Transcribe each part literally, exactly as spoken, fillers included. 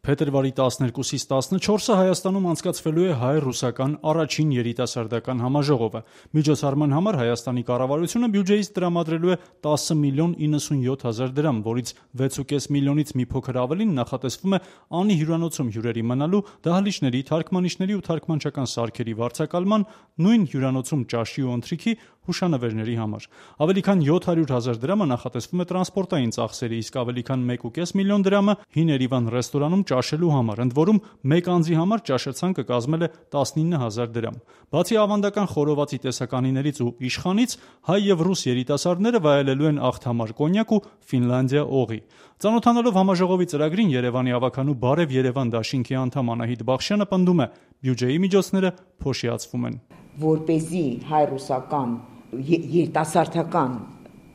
Փետրվարի տասներկուսից տասնչորսը Հայաստանում անցկացվելու է հայ-ռուսական առաջին երիտասարդական համաժողովը։ Միջոցառման համար Հայաստանի կառավարությունը բյուջեից տրամադրելու է տասը միլիոն իննսունյոթ հազար դրամ, որից վեց ու կես միլիոնից մի փոքր ավելին նախատեսվում է Անի հյուրանոցում հյուրերի մնալու, դահլիճների, թարգմանիչների ու թարգմանչական սարքերի վարձակալման, նույն հյուրանոցում ճաշի ու ընթրիքի, հուշանվերների համար։ Ավելի քան յոթ հարյուր հազար դրամը նախատեսվում է տրանսպորտային ծախսերի, իսկ ավելի քան մեկ ու կես միլիոն դրամը Հին Երևան ռեստորանում ճաշելու համար, ընդ որում մեկ անձի համար ճաշացանկը կազմել է տասնինը հազար դրամ։ Բացի ավանդական խորովածի տեսականիներից ու իշխանից, հայ եւ ռուս երիտասարդները վայելելու են աղթամար կոնյակ ու Ֆինլանդիա օղի։ Ծանոթանալով համաժողովի ծրագրին Երևանի ավականու Բարև Երևան դաշինքի անդամ Անահիտ Բախշյանը պնդում է՝ բյուջեի միջոցները փոշիացվում են։ Որպեսզի հայ-ռուսական երիտասարդական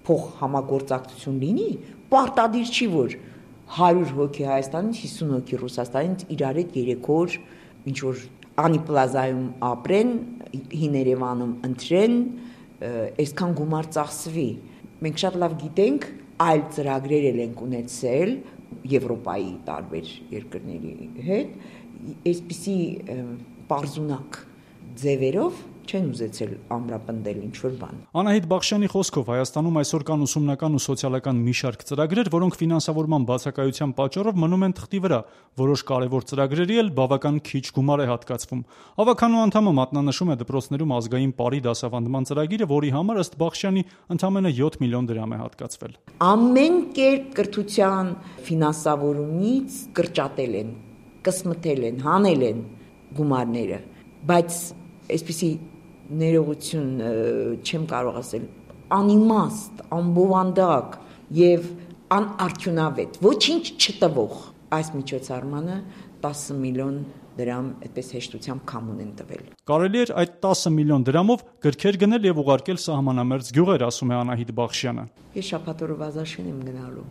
փոխհամագործակցություն լինի, պարտադիր չի, որ հարյուր հոգի Հայաստանից, հիսուն հոգի Ռուսաստանից իրար հետ երեք օր ինչ որ Անի պլազայում ապրեն, Հին Երևանում ընտրեն, այսքան գումար ծախսվի։ Մենք շատ լավ գիտենք, այլ ծրագրեր էլ ենք ունեցել Եվրոպայի տարբեր երկրների հետ, այսպիսի պարզունակ ձևերով չեն ուզեցել ամրապնդել ինչ-որ բան։ Անահիտ Բախշյանի խոսքով Հայաստանում այսօր կան ուսումնական ու սոցիալական մի շարք ծրագրեր, որոնք ֆինանսավորման բացակայության պատճառով մնում են թղթի վրա, որոշ կարևոր ծրագրերի էլ բավական քիչ գումար է հատկացվում։ Ավականու անդամը մատնանշում է դպրոցներում ազգային պարի դասավանդման ծրագիրը, որի համար ըստ Բախշյանի ընդամենը յոթ միլիոն դրամ է հատկացվել։ Ամեն կերպ կրթության ֆինանսավորումից կրճատել են, կսմթել են, հանել են գումարները, բայց այսպիսի ներողություն չեմ կարող ասել, անիմաստ, անբովանդակ եւ անարդյունավետ, ոչինչ չտվող այս միջոցառմանը տասը միլիոն դրամ այդպես հեշտությամբ կամուն են տվել։ Կարելի էր այդ տասը միլիոն դրամով գրքեր գնել եւ ուղարկել սահմանամերձ գյուղեր, ասում է Անահիտ Բախշյանը։ Ես շաբաթօրով Ազաշեն եմ գնալու։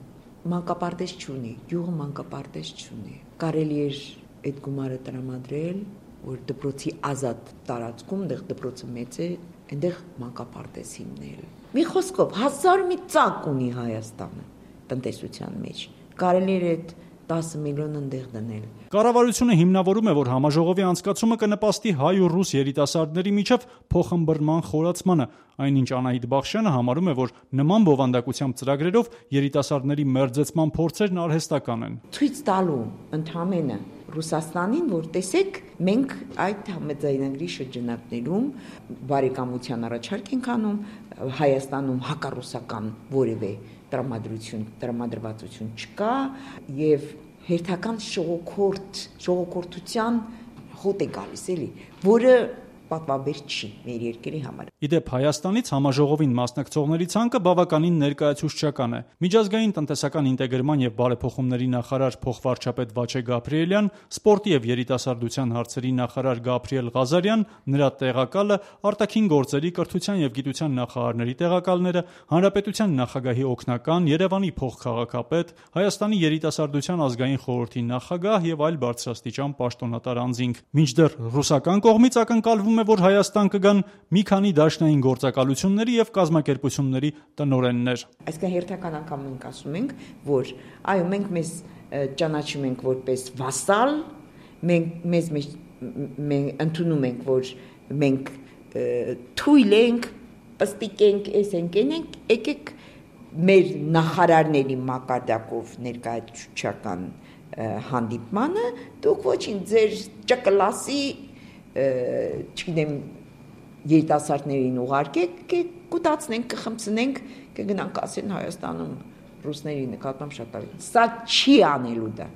Մանկապարտեզ չունի, գյուղը մանկապարտեզ չունի։ Կարելի էր այդ գումարը տրամադրել, որ դպրոցի ազատ տարածքում, այնտեղ դպրոցը մեծ է, այնտեղ մանկապարտեզ հիմնել։ Մի խոսքով, հազար մի ծակ ունի Հայաստանը տնտեսության մեջ։ Կարելի էր այդ տասը միլիոն ընդեղ դնել։ Կառավարությունը հիմնավորում է, որ համաժողովի անցկացումը կնպաստի հայ ու ռուս երիտասարդների միջև փոխըմբռնման խորացմանը, այնինչ Անահիտ Բախշյանը համարում է, որ նման բովանդակությամբ ծրագրերով երիտասարդների մերձեցման փորձերն արհեստական են։ Ցույց տալու ընդհանրապես Ռուսաստանին, որ տեսեք, մենք այդ համաձայնագրի շրջանակներում բարեկամության առաջարկ ենք անում, Հայաստանում հակառուսական որևէ տրամադրություն, տրամադրվածություն չկա եւ հերթական շողոքորթ, շողոքորթության հոտ է գալիս էլի, որը պատվաբեր չի մեր երկրի համար։ Իդեպ Հայաստանից համաժողովին մասնակցողների ցանկը բավականին ներկայացուցչական է։ Միջազգային տնտեսական ինտեգրման եւ բարեփոխումների նախարար փոխվարչապետ Վաչե Գաբրիելյան, սպորտի եւ երիտասարդության հարցերի նախարար Գաբրիել Ղազարյան, նրա տեղակալը, արտաքին գործերի, կրթության եւ գիտության նախարարների տեղակալները, հանրապետության նախագահի օգնական, Երևանի փոխքաղաքապետ, Հայաստանի երիտասարդության ազգային խորհրդի նախագահ եւ այլ բարձրաստիճան պաշտոնատար անձինք։ Մինչդեռ ռուսական կողմից ակնկալվում է, որ Հայաստան կգան մի քանի դաշնային գործակալությունների եւ կազմակերպությունների տնօրեններ։ Այսինքն հերթական անգամ մենք ասում ենք, որ այո, մենք մեզ ճանաչում ենք որպես վասալ, մենք մեզ մենք ընդունում ենք, որ մենք թույլ ենք, պստիկ ենք, էս ենք, ենք, եկեք մեր նախարարների մակարդակով ներկայացուցչական հանդիպմանը, դուք ոչինչ ձեր ճկլասի չգիտեմ երիտասարդներին ուղարկեք, կուտացնենք, կխմցնենք, կգնանք ասեն Հայաստանում ռուսների նկատմամբ շատ ավելի։ Սա չի անելու դա։